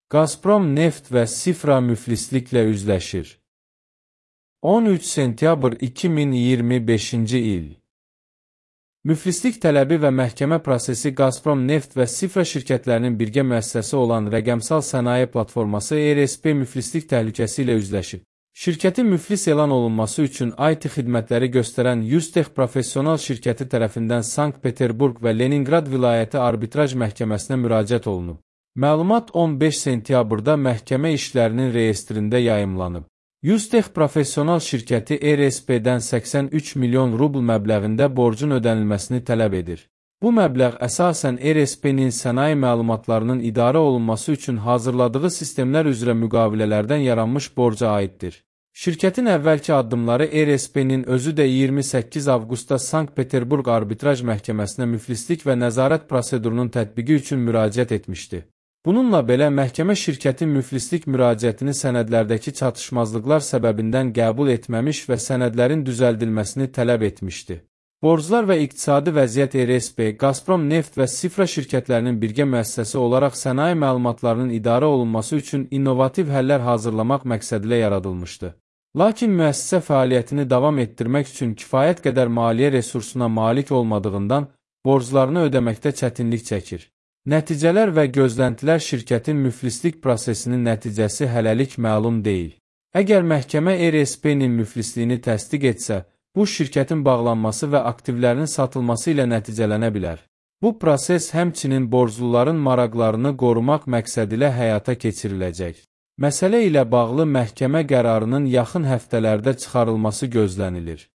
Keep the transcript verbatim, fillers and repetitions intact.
Gazprom neft və Sifra müflisliklə üzləşir. on üç sentyabr iki min iyirmi beşinci il. Müflislik tələbi və məhkəmə prosesi Gazprom neft və Sifra şirkətlərinin birgə müəssisəsi olan rəqəmsal sənaye platforması E R S P müflislik təhlükəsi ilə üzləşib. Şirkətin müflis elan olunması üçün I T xidmətləri göstərən Yustech professional şirkəti tərəfindən Sankt-Peterburq və Leningrad vilayəti arbitraj məhkəməsinə müraciət olunub. Məlumat on beş sentyabrda məhkəmə işlərinin reyestrində yayımlanıb. Yustech professional şirkəti E R S P-dən səksən üç milyon rubl məbləğində borcun ödənilməsini tələb edir. Bu məbləğ əsasən E R S P-nin sənaye məlumatlarının idarə olunması üçün hazırladığı sistemlər üzrə müqavilələrdən yaranmış borca aiddir. Şirkətin əvvəlki addımları E R S P-nin özü də iyirmi səkkiz avqustda Sankt-Peterburq arbitraj məhkəməsinə müflislik və nəzarət prosedurunun tətbiqi üçün müraciət etmişdi. Bununla belə məhkəmə şirkətin müflislik müraciətini sənədlərdəki çatışmazlıqlar səbəbindən qəbul etməmiş və sənədlərin düzəldilməsini tələb etmişdi. Borclar və iqtisadi vəziyyət E R S P, Gazprom neft və Sifra şirkətlərinin birgə müəssisəsi olaraq sənaye məlumatlarının idarə olunması üçün innovativ həllər hazırlamaq məqsədilə yaradılmışdı. Lakin müəssisə fəaliyyətini davam etdirmək üçün kifayət qədər maliyyə resursuna malik olmadığından borclarını ödəməkdə çətinlik çəkir. Nəticələr və gözləntilər şirkətin müflislik prosesinin nəticəsi hələlik məlum deyil. Əgər məhkəmə E R S P-nin müflisliyini təsdiq etsə, bu şirkətin bağlanması və aktivlərinin satılması ilə nəticələnə bilər. Bu proses həmçinin borcluların maraqlarını qorumaq məqsədilə həyata keçiriləcək. Məsələ ilə bağlı məhkəmə qərarının yaxın həftələrdə çıxarılması gözlənilir.